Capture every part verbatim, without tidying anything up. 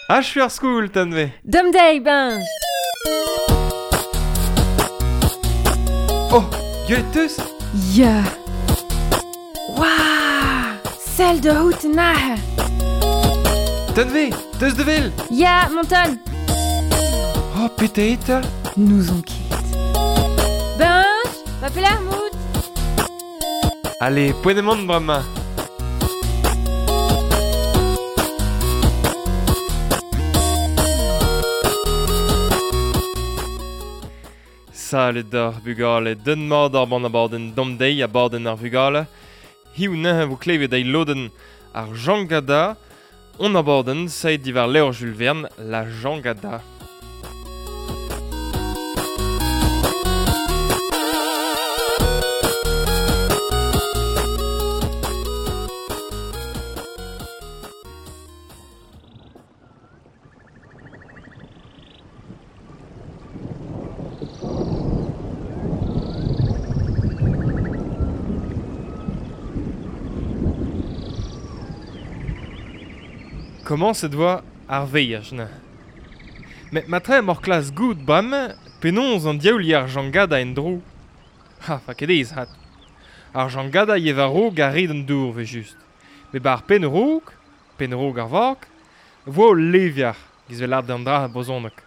Achu ar skoul, tanve. Dom dei, benj. Oh, gwelet teus? Ya. Waouh! Sell de hout nahe. Tanve, teus de vel? Ya, monton. Oh, pete eta? Nous on ket. Benj, va pelar mout. Allez, poent emaon bremañ. Salut d'ar vugale, den mat ar ban abadenn dom deiz abadenn ar vugale. Hiziv neuze vo klevet eil lodenn ar Jangada. On abadenn saet diwar levr Jules Verne, la Jangada. Komañset oa ar veaj neuze. Met matre emaoc'h klas goût bremañ penaos an diaoul ar Jangada en-dro. Ha, fa ket aes hat. Ar Jangada yev a-raok ar red an dour evel-just. Met ba ar penn-raok, penn-raok ar vag, vo ul levier, giz vel lâret an dra brezhoneg.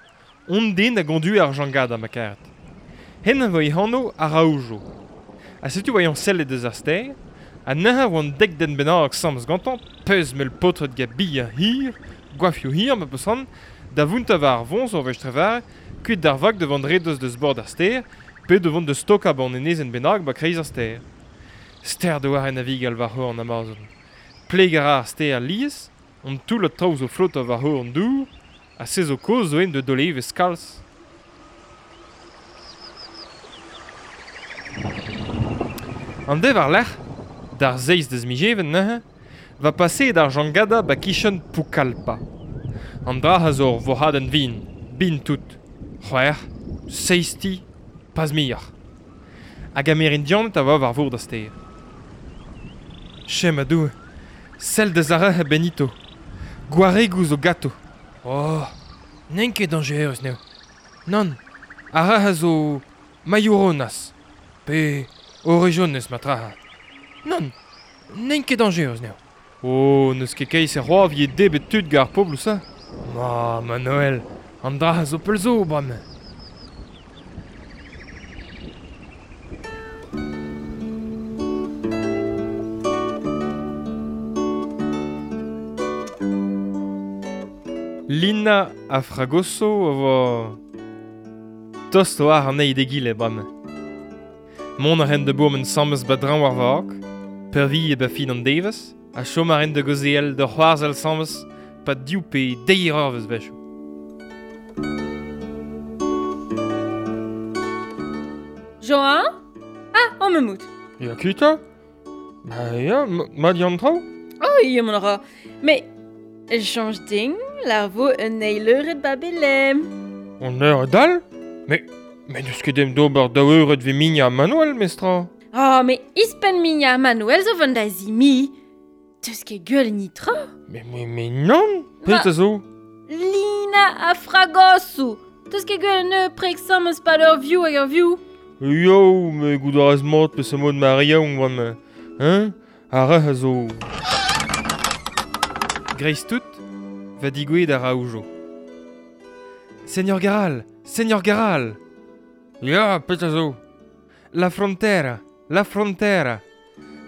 On den a gondue ar Jangada ma karet. Hen vo e anv Araújo. Ha setu oa eñ sellet eus ar stêr, ha neuze oan dek den bennak sammez gantañ, peus mell paotred gant bihan hir, goafioù hir ma peus c'hoant, da vountañ war ar voñs ur wech trevare, kuit d'ar vag da vont redoz deus bord ar stêr, pe da vont da stokañ ba an enezenn bennak ba kreiz ar stêr. Stêr da war en avigal war c'horn Amazon. Pleg a ra ar stêr lies, an toull traoù zo flotañ war c'horn an dour, ha se zo kaoz zo en da dolevez kalz. An dev war-lerc'h, d'ar seizh deus miz Even neuze, va paseet ar Jangada ba kichen Pucallpa. An dra a zo ur vohadenn vin, bin tout. C'hwec'h, seizh ti, pas muioc'h. Hag Amerindianed a oa war vor da stêr. Chem a Doue, sell deus ar re Benito. Gwaregoù zo gato. Oh, n'int ket dañjerus n'eo. Nann, ar re a zo Maiourronas, pe Orejones matraha. Nann, n'int ket dañjerus n'eo. Oh, n'eus ket keiz e c'hoaz vije debret tud gant ar pobloù ça. Ma, ma Noël, an dra a zo pell zo bremañ. Lina ha Fragoso a vo tost war an eil d'egile bremañ. Mont a ren da bourmen sammez ba draoñ war vag, pervi e ba fin an devezh, ha chom a ren da gaozeal da c'hoarzhal sammez pa div pe deir eurvezh wechoù. Joan? Ah, on me mout. Ya kita? Ba ya, mat eo an traoù? Oh, ya mont a ra. Mais, chañj din, lar vo un eil eured ba Belem. An eured all? Mais, mais n'eus ket em d'ober daou eured ve Migna ha Manuel, mestra. Oh, mais ispen Migna ha Manuel zo vont da zimi. Teus ket gwell nitra? Mais, mais, mais non, petra zo? Lina ha Fragoso. Teus ket gwell ne prek sammez pad ur view hag ur view? Yo, me goût a rez mat peseurt mod ma yaouank bremañ. Hein? Ar re a zo... Greiz tout, va digouezhet Araújo. Seigneur Garal, Seigneur Garal. Ya, petra zo? La frontera, la frontera.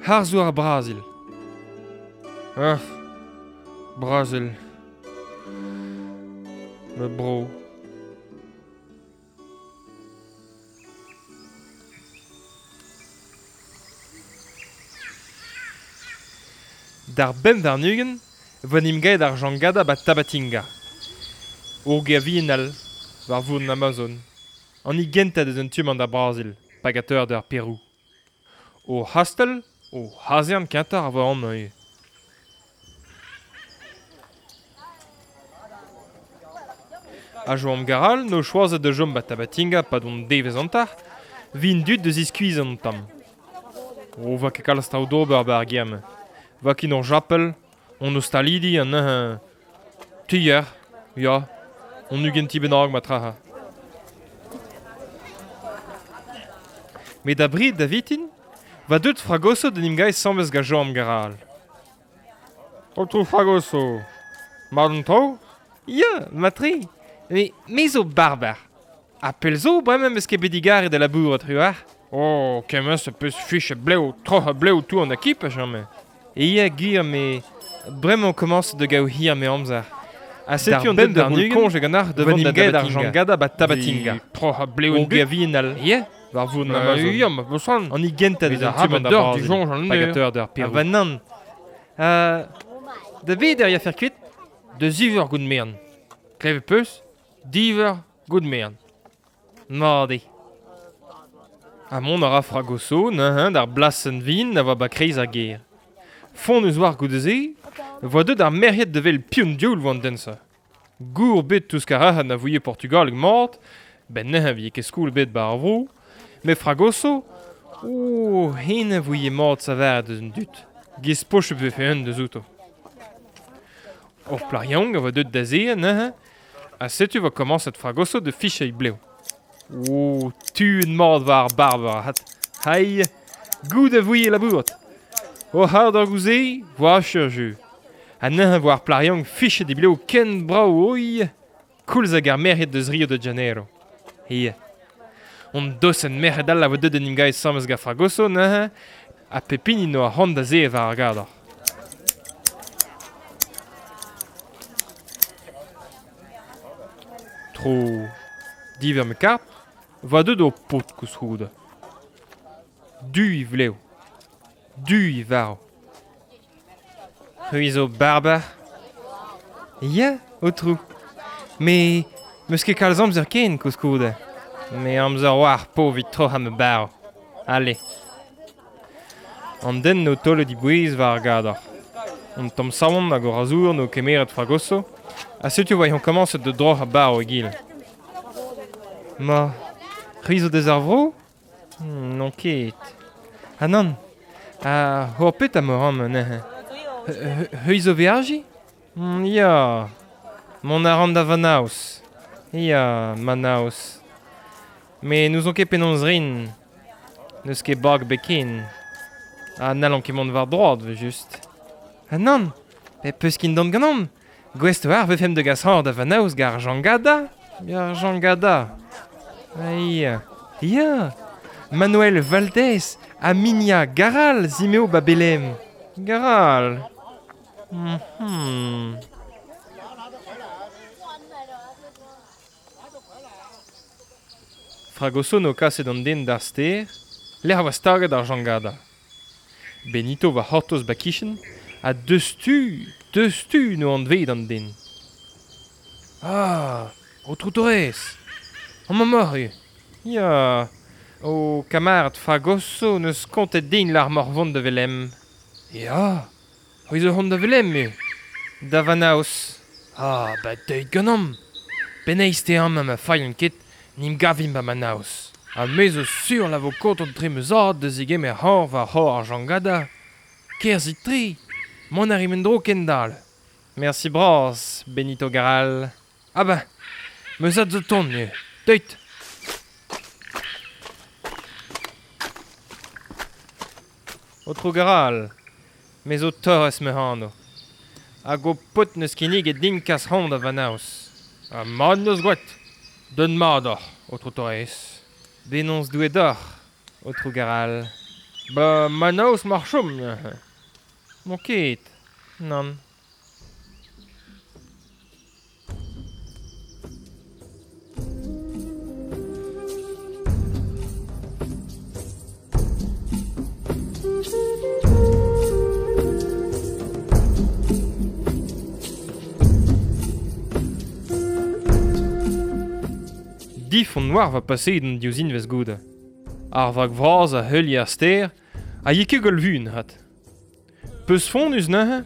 Harzoù ar Brazil. Ah, Brazil. Ma bro. D'ar bemp warn-ugent, vo en em gaet ar Jangada ba Tabatinga. Ur gêr vihan all, war vourd an Amazon. An hini gentañ deus un tu-mañ d'ar Brazil, hag a d'ar Perou. O c'hastell, o c'hazern kentañ a vo amañ ivez. Ha Joan Garal n'o choazet da chom ba Tabatinga pad hon devezh hanter, vin dud da ziskuizhañ an tamm. O va ket kalz traoù d'ober ba ar gêr-mañ. Va ket hor japel, hon ostalidi an neuze tier, Ya, on ugent ti bennak ma traha. Met da brid da vitin, va deut Fragoso d'en im gae sambez ga Joam Garal. Otrou Fragoso, mat an traoù? Ya, matri. Me, me zo barbar. Ha pell zo bremañ meus ket bet digaret da labourat truar. Oh, kement se peus fich a blev, troc'h a blev tout an akip a jamais. E ya gwir me bremañ komañs da gaout hir me amzer. Ha setu an den da roul koñj hag an ar devant da ar jangada ba Tabatinga. Troc'h a blev an gavinal. Ya, war voun Amazon. Ya, ma bosan. An igenta deus an tu da Brazil. Pagateur d'ar Perou. Ha va nann. Euh, da bet er ya fer kuit? De ziver gout mern. Klevet peus? Diver gout mern. Mat eo. Ha mont a ra Fragoso neuze d'ar blasenn vin a oa ba kreiz ar gêr. Font eus war goude-se, voa deut ar merc'hed da wel piv dioul voa an den-se. Gour bet touz karahan a voie Portugal mat, ben neuze vie ket skoul bet ba ar vro, met Fragoso, oh, hen a voie mat saver deus an dud. Giz poch vefe un deus outo. Ur plac'h yaouank a voa deut da se neuze, ha setu voa komañset Fragoso da fichañ blev. Oh, tuen mat war ar barber hat. Hai, gout a voie labourat. O c'hard ar gouze, voa ur jeu. Ha neuze voa ar plac'h yaouank fichet e blev ken brav oi, koulz hag ar merc'hed deus Rio de Janeiro. Ia. On dosenn merc'hed all a voa deut en im gae samez gant Fragoso neuze, ha pep hini no ar c'hoant da se war ar gador. Tro diver me kart, va deut o paotr koulskoude. Du e vlev. Du e varv. C'hwi zo barbar. Ya, aotrou. Me meus ket kalz amzer ken koulskoude. Me amzer war po evit troc'hañ ma barv. Allez. An den no taolet e bouez war ar gador. An tamm saon hag o razour no kemeret Fragoso, ha setu oa eñ komañset da droc'hañ barv egile. Ma, c'hwi zo deus ar vro? Hmm, n'on ket. Ha nann, ha hor pet am ran neuze. C'hwi zo veajiñ? Mm, ya, mont a ran da Manaus. Ya, Manaus. Me n'ouzon ket penaos rin. N'eus ket bag bet ken. Ha n'hallan ket mont war droad, evel just. Ha nann, pe peus kin dont ganeomp. Gouest war vefemp da gas hor da Manaus gant ar jangada? Ar jangada. Ya, ya. Manuel Valdez ha Minia Garal zimeo ba Belém. Garal. Mm-hmm. Fragoso no kaset an den d'ar stêr, lec'h a oa staget ar jangada. Benito va c'hortoz ba kichen, ha deus tu, deus tu no anvet an den. Ah, aotrou Torres, amañ emaoc'h eo. Ya, o kamarad Fragoso neus kontet din lar morvont da Velem. Ya, c'hwi zo c'hont da Velem eo. Da Vanaus. Ah, ba deuit ganeomp. Penaos te amañ ma failhan ket, n'im gavimp ba Manaus. Ha me zo sur la vo kontant tre ma zad da zegemer c'horf war c'hor ar jangada. Kerzhit tre, mont a rimp en-dro kendal. Merci bras, Benito Garal. Ah ba, ma zad zo tont eo. Deuit. Aotrou Garal, me zo Torres ma anv. Hag ho paotr neus kinniget din kas c'hoant da Vanaus. Ha mat neus gwraet. Deut mat oc'h, aotrou Torres. Bennozh Doue deoc'h, aotrou Garal. Ba Manaus mar chom neuze. N'on ket, nann. Difon noir va paseet an diouzin vez goude. Ar vag vras a heulier ar stêr, a ye ket gwall vuan hat. Peus fonnus neuze,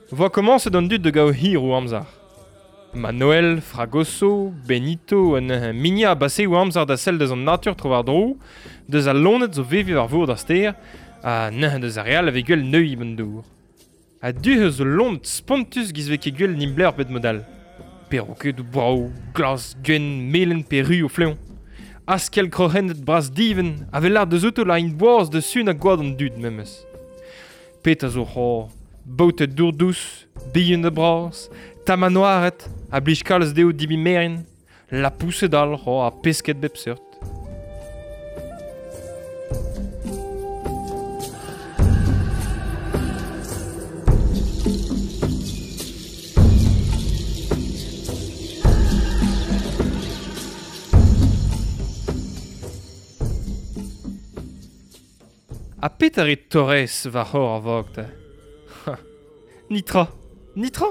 voa komañset an dud da gaout hir o amzer. Manuel, Fragoso, Benito ha neuze Minia a base o amzer da sell deus an natur tro war-dro, deus al loened zo veviñ war vour d'ar stêr, ha neuze deus ar re all a vez gwell neuiñ an dour. Ha du eus ul loened spontus giz vez ket gwell nimbler bet mod all. Perrokedoù brav, glas, gwenn, melen pe ru o fleon. Askel kroc'hennet bras diven, a vel lâr deus outo la int boaz de sun a gwad an dud memes. Pet a zo c'hor, baotet dour dous, bihan da bras, tamanoaret, a blij kalz dezho dibi merin, lapoused all c'hor ha pesked bep seurt. Ha pet a rit Torres war c'hor ar vag ta? Nitra, nitra.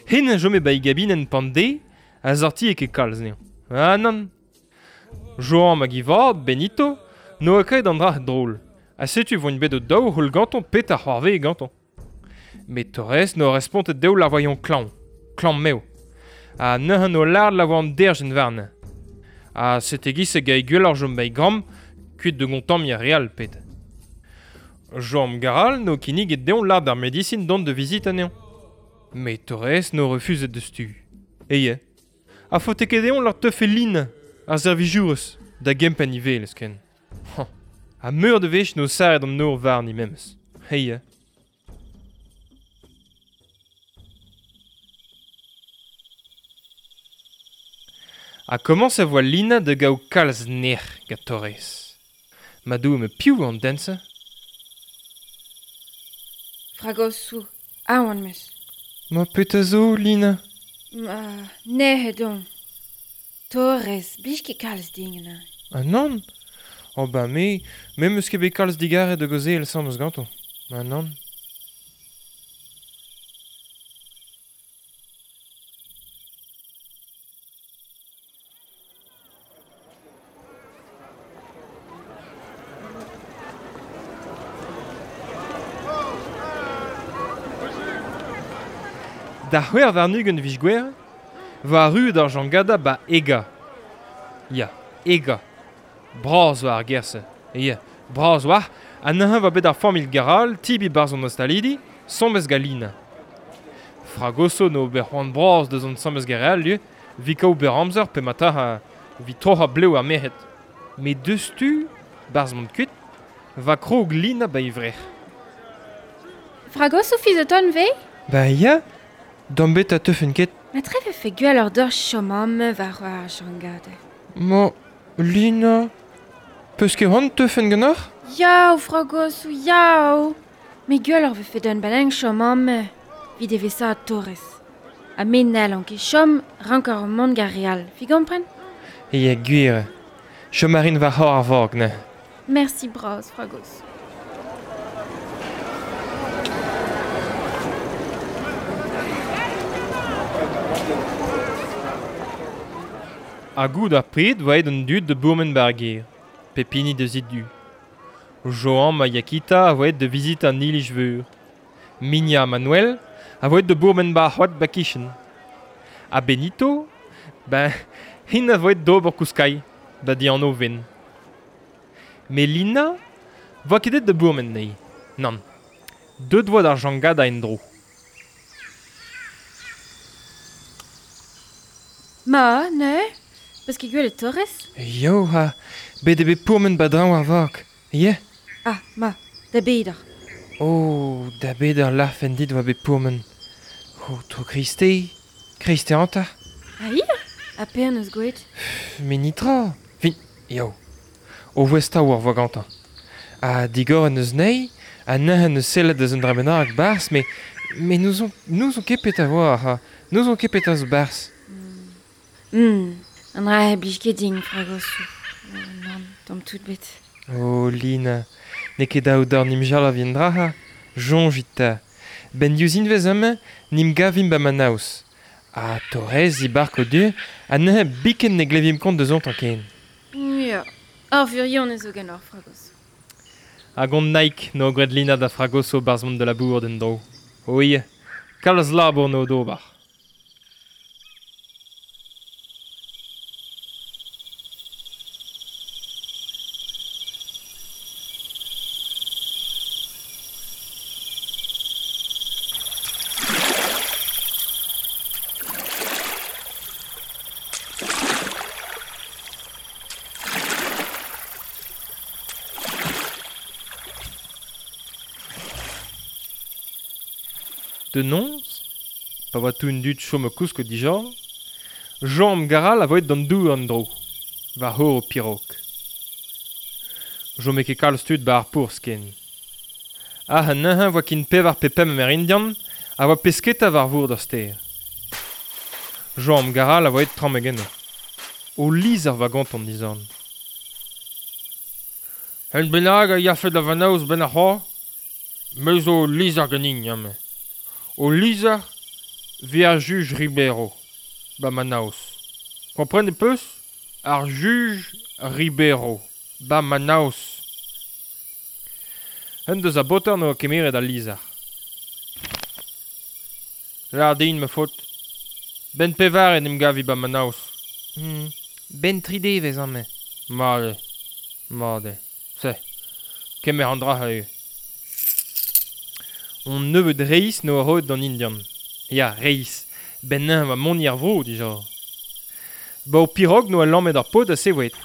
Hen a jome ba e gabinen pande a zorti e ket kalz neo. Ah nann. Joan hag i vab, Benito, no a ket an dra drôl. Ha setu voint bet o daou c'houl ganton pet ar c'hoarve e ganton. Met Torres no respontet dezho la voyon klañv, klañv meo. Ha neuze no lard la voan derjen varne. Ha sete giz e gae gwell ar jom ba e gramm, kuit de gontamm ya real pet. Joan Garal no kinniget deomp lard ar medisin dont de vizit anezhañ. Met Torres no refuzet deus tu. Eye. A faote ket deomp lard teufe lin ar servijourez da gempenn ivel esken. Ha meur de wech no sarret an nor warni memes. Eye. Ha komañs a voa Lina da gaout kalz nec'h gant Torres. Ma dou me piv an den-se? Fragosoù, aon meus. Ma petra zo, Lina? Ma nec'het on. Torres, blij ket kalz din anezhañ. Ah nann? Oh ba me, me 'meus ket bet kalz digarez da gaozeal asambles gantañ. Ah nann. Da c'hwec'h warn-ugent vij gwer, va arru d'ar jangada ba Ega. Ya, Ega. Bras war ar gerse. Ya, bras war, ha neuze va bet ar familh Garal, tibi barzh an ostalidi, sommez galina. Fragoso no ber c'hoant bras deus an sommez Garal, lieu, vi kaout ber amzer pe mata ha vi troc'h blev ar merc'hed. Met deus tu, barzh mont kuit, va krog Lina ba ivrec'h. Fragoso fiz o ton ve? Ba ya, D'am bet a teufen ket. Ma tre vefe gwell ur d'ur chom amañ war ar jangade. Ma, Lina, peus ket c'hoant teufen ganeoc'h? Yaou, Fragosoù, yaou. Met gwell ur vefe d'un banenn chom amañ, evit evesaat Torres. Ha me n'hallan ket chom, rank ur mont gant re all. Fi gompren? Ya, gwir. Chom a rin war c'hor ar vag, neuze. Merci bras, Fragosoù. Ha gout ar pred voa aet an dud da bourmen bar gêr, pep hini deus e du. Joan ma Yakita a voa aet da vizit an iliz veur. Minia Manuel a voa aet da bourmen bar c'hoad ba kichen. Ha Benito, ben, hin a voa aet d'ober kouskai, da di an ven. Met Lina voa ket aet da bourmen nei. Nann. Deut voa d'ar jangada en-dro. Ma, ne? Peus ket gwelet Torres? Yo, ha, bet eo bet pourmen badraoñ ar vag, ya? Ah, ma, da beder. Oh, da beder larfen dit oa bet pourmen. Oh, tro Kriste, Kriste hanter. Ah, ya? Ha pean eus gwelet? Met nitra. Fin, yo. O voestañ war voa gantañ. Ha digor en eus nei, ha neuze en eus sellet deus un dra bennak barzh, met, met n'ouzon, n'ouzon ket petra voa, ha n'ouzon ket petra zo barzh. Mm. An dra e blij ket din, Fragosoù. Oh, nann, tamm tout bet. Oh, Lina, n'eo ket daou d'ar nimjal a vien dra, ha. Soñjit 'ta. Ben diouzh invez amañ, nim gavimp ba Manaus. Ha Torres e bark o du, ha neuze biken ne glevimp kont deus ontañ ken. Ya, ar vurion zo ganeoc'h, Fragosoù. Hag on Nike no graet Lina da Fragoso barzh mont da labour d'en dro. Oi, kalz labour no d'ober. De noz, pa oa tout un dud chom kousk dija, Jean Garal a voet d'an dour an dro, war hor o pirog. Jom e ket kalz tud ba ar pourzh ken. Ah, an neuze voa kin pevar pe pemp Amerindian a voa pesketa war vour d'ar stêr. Jean Garal a voet tramm egeno. O lizher va gantan dizan. Un bennak a yafe da Vanaus ben ar c'hoar, me zo lizher ganin, ame. O lizher vi ar juj Ribeiro, ba Manaus. Kompren e peus? Ar juj Ribeiro, ba Manaus. Un deus a boter no kemeret al lizher. Lar din ma faot. Ben pevar en em gavi ba Manaus. Hmm. Ben tri devez ame. Mat eo, mat eo. Se, kemer an dra eo. On nebeud reiz no a roet d'an Indian. Ya, reiz. Ben neñv va mont ar vro, dija. Ba o pirog no a lammet ar pod a sevoet.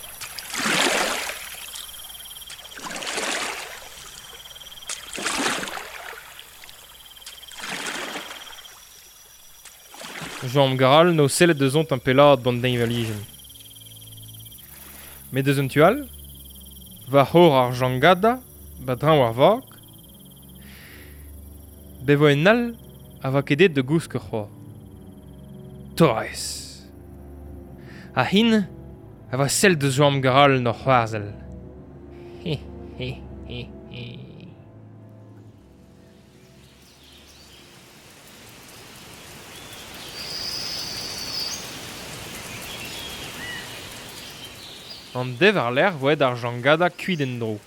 Jean Garal no sellet deus ont un pelad bant deñvalijenn. Met deus un tual, va c'hor ar jangada, ba drañ war vag, be vo en all a va ket de gousk c'hoar. Torres. A hin a va sell deus Jean Garal n'or c'hoarzhel. He, he, he, he. An dev ar lec'h voet ar jangada kuit en dro.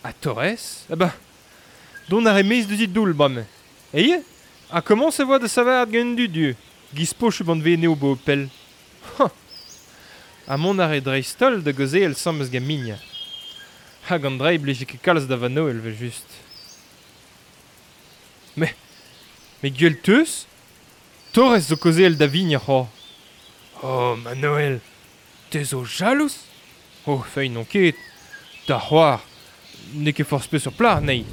A Torres? Eh ben, don ar emez deus it doul bam. Eie? A comment se voa de savar gant du dieu? Giz poch ban ve neo bo pel. Ha! A mont ar e dreistol da goze el sam eus gant. Hag an drei blije ket kalz da vano el ve just. Me, me gwell teus? Torres zo koze el da vigna c'ho. Oh, Manoel! Te zo jalous? Oh, fei non ket. Da c'hoar, n'eo ket forzh peus sur plar, nei.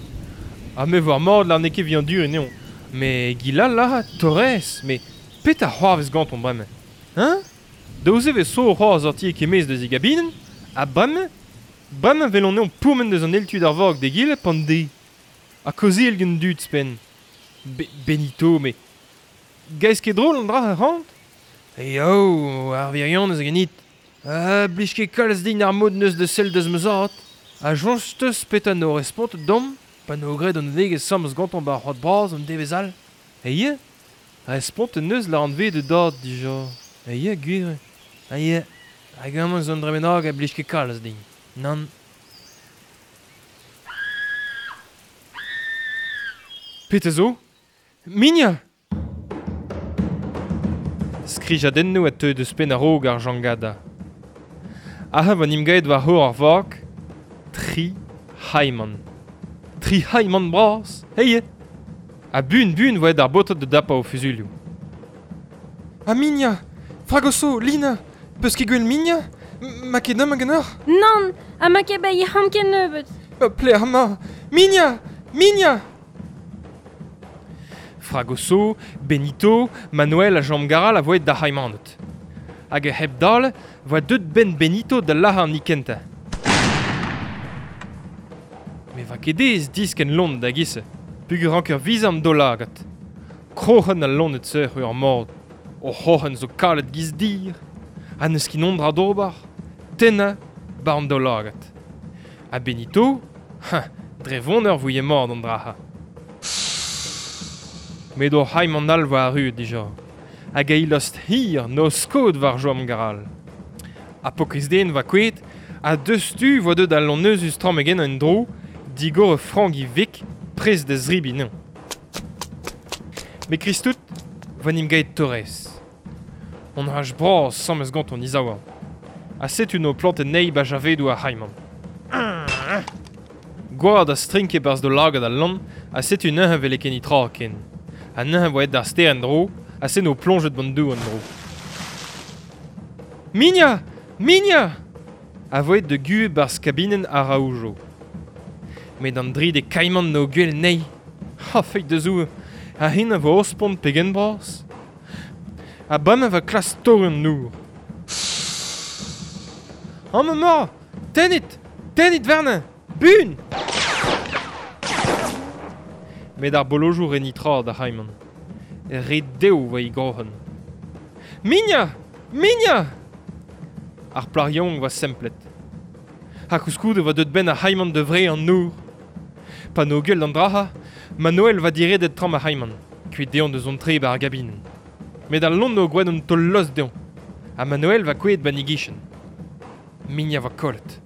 Ha me war mord lar n'eo ket vian dur neon. Me gilal la, Torres, me pet a c'hoarvez ganton bremañ. Hein? Daouzez vez so c'hoar sorti e kemez deus e gabinen, ha bremañ, bremañ vel on neon pourmen deus an eltud ar vorg de gil pan de. Ha koze el gant dud spen. Be Benito, me... Gaez ket drôl an dra a rant? Eo, oh, ar virion eus a ganit. Ah, blij ket kalz din ar mod neus de sell deus ma zad. A joñs teus peta no respont dom, pa no gred an vegez samz gantan ba ar c'hoad bras an devez all. Eie, respont neus la an ve de dad dija. Eie, gwir. Eie, hag amañ zo an dremenag a blij ket kalz din. Nann. Peta zo? Minya! Skrijadennoù a teu deus penn a-raok ar jangada. Aha van imgaet war hor ar vag, tri haiman. Tri haiman bras, heie! A bun bun voet ar botot de dapa o fuzulioù. A Minya! Fragoso, Lina! Peus ket gwell Minya? Ma ket am ganeoc'h? Nann, ha ma ket bei ham ket nebeut. Pler ma! Minya! Minya! Fragoso, Benito, Manuel ha Jean Garal a voet da haimanet. Hag e hep dal voa deut ben Benito da lahar an nikenta. Me va ket ez disken lont da gise, pugur ranker vizan do lagat. Kroc'hen al lonnet seur ur mord, o c'hoc'hen zo kalet giz dir, ha neus kin ondra d'ober, tenna bar an do lagat. Ha Benito, ha, dre von ur vouye mord an draha. Met o haim an al voa arru dija. Hag a ilost hir no skod war joam garal. A pokez den va kuet, a deus tu voa deut al lon eus tramm egen an dro, digor e frank i vik, prez da zribi non. Me kristout, va nim gaet Torres. On haj bras samez gant on izaouan. A setu no plant nei ba javedou a haiman. Gwad a strinke barz do lagad al lon, a setu neuze vel e ken itra ken. A neuze voet d'ar ster en dro, a se no plonjet bant dou an dro. Minya! Minya! A voet de gu barz kabinen a raoujo. Met an dri de kaiman no gwell nei. Ha feit de zou, Ha hin a vo ospont pegen bras. Ha bremañ va klas tor an nour. An ma! Tennit! Tennit warnañ! Bun! Met ar bolojoù re nitra da c'haiman. Re dev va i groc'hen. Migna! Migna! Ar plarion va semplet. Ha koulskoude va deut ben ar c'haiman de vre an nour. Pa no gueul d'an draha, Manuel va diredet tram ar c'haiman, kuit deon deus on tre ba ar gabinen. Met al lon no gwen un tol los deon. Ha Manuel va kouet ba nigichen. Migna va kollet.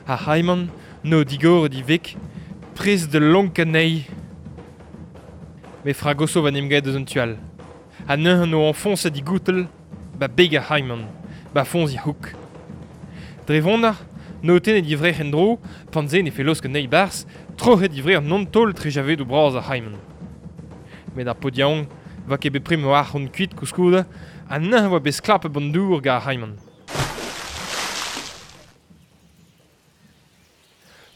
Ar c'haiman no digor di vek, prez de lonk anezhi. Me fragoso va nimgaet deus un tual. Ha neuze no enfonset di goutel, ba beg ar c'haiman, ba fonz i houk. Dre vonnar, no tenet di vrec'h en dro, panze ne fe losk anezhi bars, troc'het di vrec'h non tol tre javedoù bras ar c'haiman. Met ar podiaong va ket bet prim ar c'hont kuit koulskoude, ha neuze oa bet sklapet ban dour gant ar c'haiman.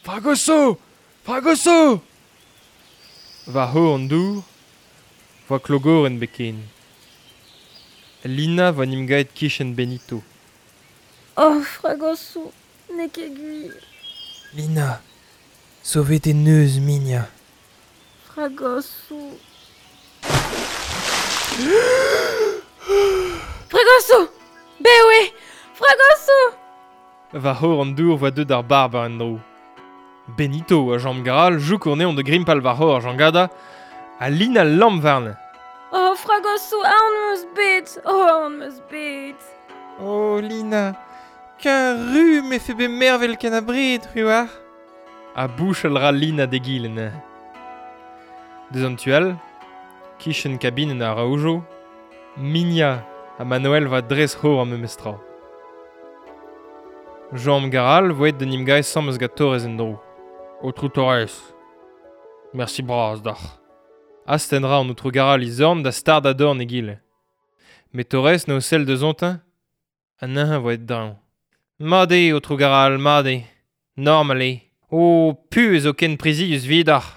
Fragoso! Fragoso! Va ho an dour, voa klogoren beken. Lina va nimgaet kichen Benito. Oh, Fragoso, n'eo ket gwir. Lina, sauvet e neuz, Migna. Fragoso. Fragoso! Bewe! Fragoso! Va ho an dour voa deut ar barb ar en dro. Benito a Jean Garal jouk on eon de grimpal war ho ar jangada, a Lina lamm warne. Oh, Fragoso, aon meus bet! Oh, aon meus bet! Oh, Lina, ken ru me fe bet mervel ken a bred, ruar. A bouchal ra Lina de gilen. Deus an tual, kichen kabinen ar raoujo, Migna ha Manuel va dres ho ar memestra. Jean Garal voet de nimgae sammes gant Torres en dro. Autrou Torres. Merci bras d'ac'h. Astenn ra an autrou Garal i zorn da stard a dorn egile. Met Torres n'eo sell deus ontin, ha neuze voet draoñ. Mad eo, autrou Garal, mad eo. Normal eo. O, pu ez o ken prizius vidac'h.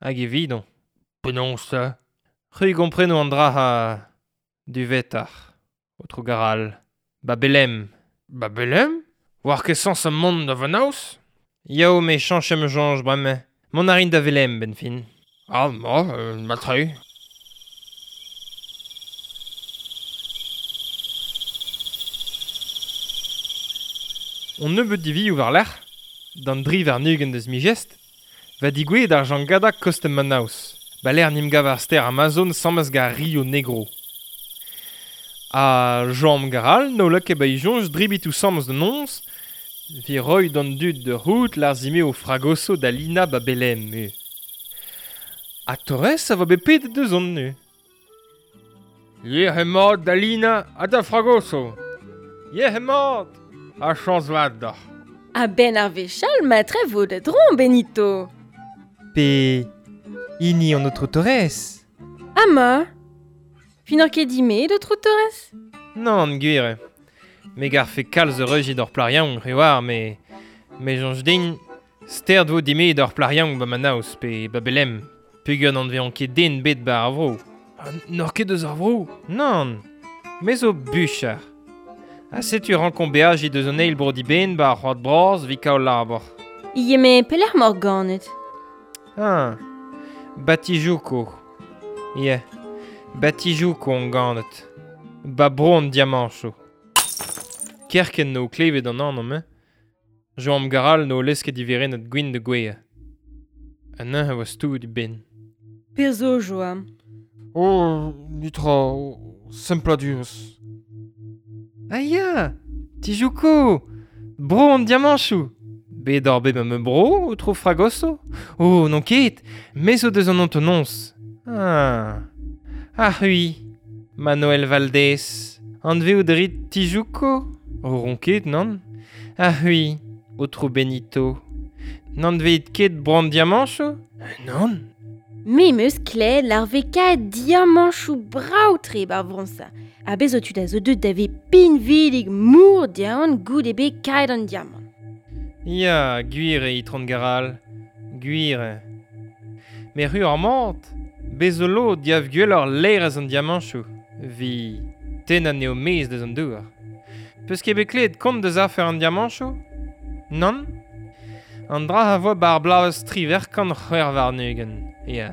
Hag e vidon. Penaos ta? C'hwi gompreno an dra ha... duvetac'h. Autrou Garal. Ba Belem. Ba Belem? War ket sans a mont da Vanaus? Yao me chanch em chanj bremañ. Mont a rin da Velem, ben fin. Ah, ma, euh, matre. On nebeut divioù war lerc'h, d'an dri war nugen deus mi-gest, va digouet ar jangada kostem Manaus, ba ler nimgav ar ster Amazon sammes gar Rio Negro. Ha Jean Garal no lak e ba i jonj dribitou sammes de nons, vi roi d'an dud de rout lar zime o fragoso da Lina ba Belem mu. Ha Torres a vo bet pedet deus on nu. Yer mat da Lina ha da Fragoso. Yer mat! Ha chañs vat d'ac'h. A ben ar vechal matre vo da dron, Benito. Pe... hini an autre Torres. Ama. Fin ket dime d'autre Torres? Non, gwir. Me gar fe kalz reuji d'or plariang, rewar, me... Me jonj din, sterd vo dime d'or plariang ba Manaus pe ba Belem. Peogwir n'an vean ket den bet ba ar vro. Ha n'oc'h ket deus ar vro? Nann, me zo buchar. Ha setu rankon beaji deus an eil bro di ben ba ar c'hoad bras vi kaol labor. Ie me pelec'h mor ganet? Ah, Batijuko. Ie, Batijuko on ganet. Ba bro an diamancho. Kerken no klevet an anv eh? Joam Garal no lesket diveren at gwin de gwea. An neuze a oa stouet i ben. Per zo, Joam? Oh, nitra, sempladurez. Ah ya, Tijuco! Bro an diamanchou! Bet ar bet ma me bro, o tro fragoso? Oh, non ket, me zo deus an antonons. Ah, ah oui, Manuel Valdés. Anve o drit Tijuco? O ronket, non? Ah oui, o tro Benito. N'anveet ket bro an diamanchou? Non. Me meus kled l'ar veka diamanchou brao tre bar vronsa. A bez o tud a zo deut da ve pinvidig mour diamant goud ebe kaet an diamant. Ya, gwir e itron Garal, gwir. Me ru ar mant, Bez zo lod diav gwelloc'h laerezh an diamanchoù, vi tennañ anezho maez deus an douar. Peus ket bet klevet kont deus afer an diamanchoù? Nann? An dra a voa bar bloavezh triwec'h kant c'hwec'h warn-ugent, ya.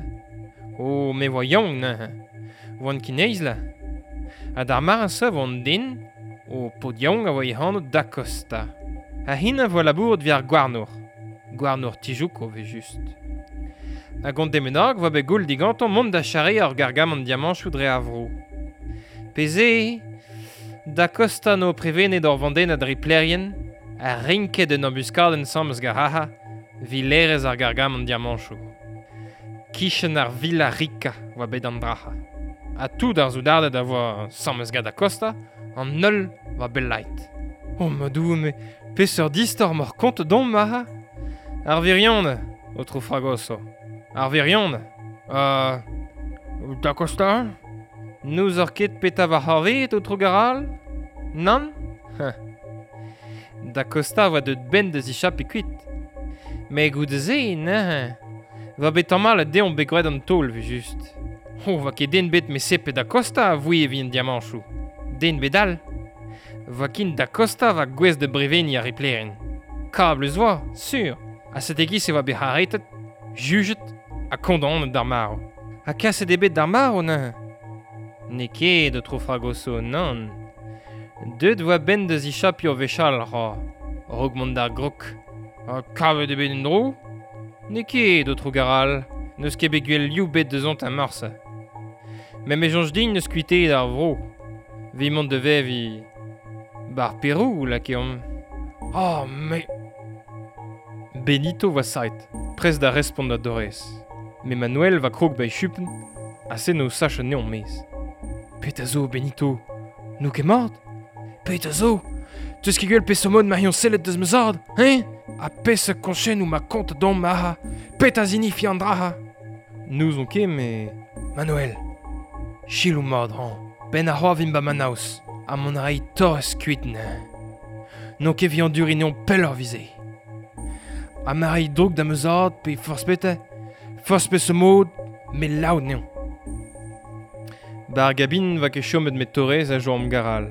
O, me voa yaouank neuze. Voan ket neizh la. Ha d'ar mare-se vo an den, o paotr yaouank a voa e anv Da Costa. Ha hennezh a voa labouret evit ar gouarnour. Gouarnour Tijuco ve just. Hag an den bennak voa bet goul digantañ mont da charreañ ur gargamant diamanchoù dre ar vro. Pezh Da Costa no prevenet ur vandennad riplerien, a rinket un embuskadenn sammez garaha, vi laerezh ar gargamant diamanchoù. Kichen ar Villa Rica oa bet an draha. Ha tout ar soudarded a voa sammez gant Da Costa, an holl oa bet lait. Oh ma doue, me peseurt istor m'oc'h kont domp maha? Ar virion, aotrou Fragoso. Ar virion. Euh, Da Costa? N'ouzoc'h ket petra va c'hoarvezet, aotrou Garal? Nann? Da Costa oa deut benn da zichapiñ kuit. Met goude-se, neuze, va bet tamallet dezhañ bet graet an taol, ve just. Oh, va ket den bet me sepe Da Costa a voe evit an diamanchoù. Den bet all. Va kin Da Costa va gouez da breveniñ ar riplerin. Kablus oa, sur. Ha sete giz e oa bet aretet, jujet ha kondaonet d'ar marv. Ha kaset eo bet d'ar marv neuze? N'eo ket, aotrou Fragoso, nann. Deut oa benn da zichapiñ ur wech all, ra. A-raok mont d'ar grog. Ha kavet eo bet en-dro? N'eo ket, aotrou Garal. N'eus ket bet gwell liv bet deus an morse. Met me soñj din n'eus kuitaet ar vro. Vi mont da veviñ bar Perou, lakeomp. Oh, me... Benito va saet, prest da respont da Dorez. Me Manuel va krog ba e chupenn, ha se no sach anezhañ maez. Petra zo, Benito? N'o ket mat? Petra zo? Teus ket gwell peseurt mod ma hiziv sellet deus ma zad, hein? Ha peseurt koñchennoù ma kont domp maha? Petra zinifi an draha? N'ouzon ket, me... Manuel, selaou mat hañ. Ben ar c'hoar vin ba Manaus, ha mont a ray Torres kuit neuze. N'on ket vi anduriñ neomp pelloc'h vize. Ha ma ray droug da ma zad pe forzh petra, forzh peseurt mod, me laout neomp. Bar gabin va ket chomet met Torres a joam Garal.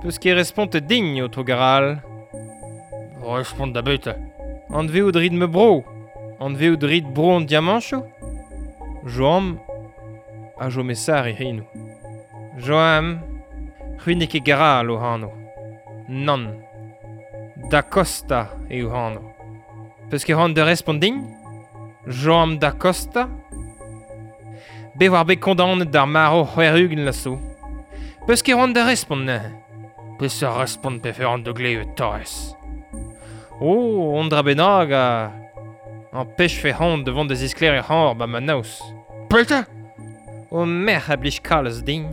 Peus ket respontet din, aotrou Garal? Respont da beta. Anveout rit me bro. Anveout rit bro an diamanchoù? Joam a jo me sar e c'henoù. Joam, c'hwi n'eo ket Garal o anv. Nann. Da Costa eo anv. Peus ket c'hoant da respont din? Joam Da Costa? Bet war bet kondaonet d'ar marv c'hwec'h-ugent la zo. Peus ket c'hoant da respont neuze? Peseurt respont pe c'hoant da glevet Torres? Oh, on dra bennak a... An pech fe c'hoant da vont da zisklêriañ c'hoar ba Manaus. Petra? O merc'h a blij kalz din.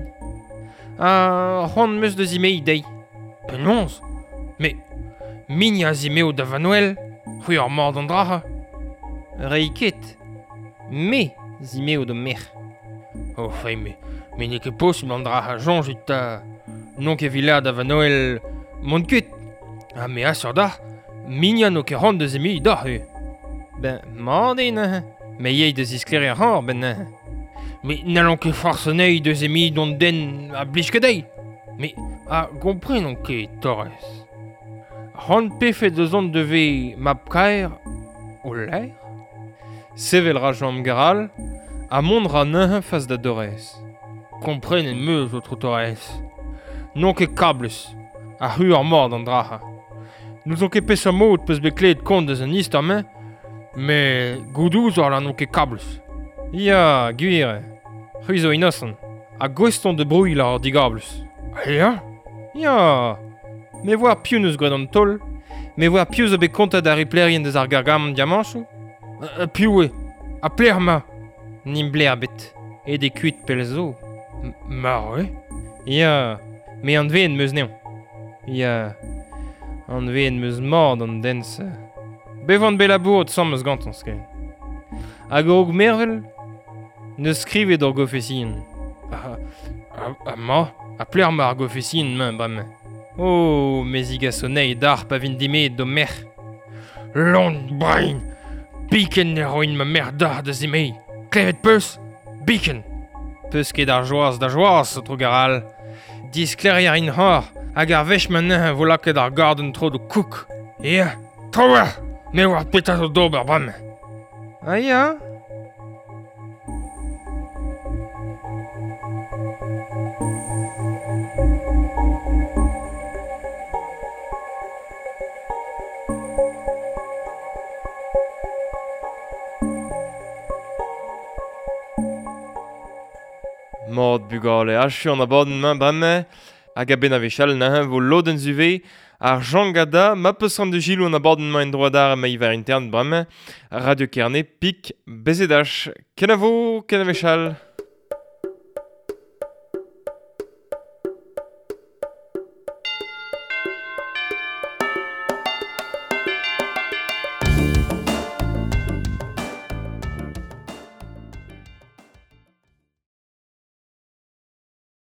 Ha c'hoant 'm eus da zimeiñ dezhi. Penaos? Me... Mign a zimeo da Vanuel, c'hwi ar mard an draha. Reiñ ket. Me zimeo da merc'h. Oh, fei, me, me n'eo ket posubl an draha soñjit ta. N'on ket vilad da Vanuel mont kuit. Ha me asur dac'h, mign n'o ket c'hoant da zimeiñ dac'h eo. Ben, mat eo neuze. Me yey da zisklêriañ c'hoar ben neuze. Me n'hallon ket forzh anezhi da zimeiñ d'an den a blij ket dezhi. Me a gomprenon ket, Torres. C'hoant pefe da zont da ve mab-kaer o laer? Sevel ra Joam Garal, ha mont ra neuze fas da Dorez. Komprenet 'm eus, aotrou Torres. N'on ket kablus, ha c'hwi ar mort an draha. N'ouzon ket peseurt mod peus bet klevet kont deus an istor-mañ, met gouzout ouzoc'h n'on ket kablus. Ya, gwir eo. C'hwi zo inosant. Ha gouest on da brouilh ar digablus. Ya? Ya. Me voar piv n'eus graet an taol. Me voar piv zo bet kontet ar riplerien deus ar gargamant diamanchoù. Euh, piv eo? Ha pelec'h emañ? N'im bler bet. Aet eo kuit pell zo. Marv eo? Ya, me anveet 'm eus anezhañ. Ya, anveet 'm eus mat an den-se. Bet oan bet labouret 'sammez gantañ ken. Hag a-raok mervel, n'eus skrivet ur gofesienn. Ha, ha, ha ma, ha pelec'h emañ ar gofesienn-mañ bremañ? Oh, me zigaso anezhi dac'h pa vin dimeet d'ho merc'h. Lon brein! Biken ne roin ma merc'h dac'h da zimeiñ. Klevet peus? Biken. Peus ket ar joaz da joaz, o garal. Disklerier in hor, hag ar wech ma neuze vo lakaet ar garden tro do kouk. Ya, tro me war petra zo d'ober bremañ. Ah ya. Mord bugale, achu an abadenn-mañ bremañ hag a-benn a-wechall neuze vo lodenn zuve ar Jangada ma peus an de gilou an abadenn-mañ en droad ar ma iver intern bremañ Radio Kerne pik bezedach. Kenavo, ken a wechall.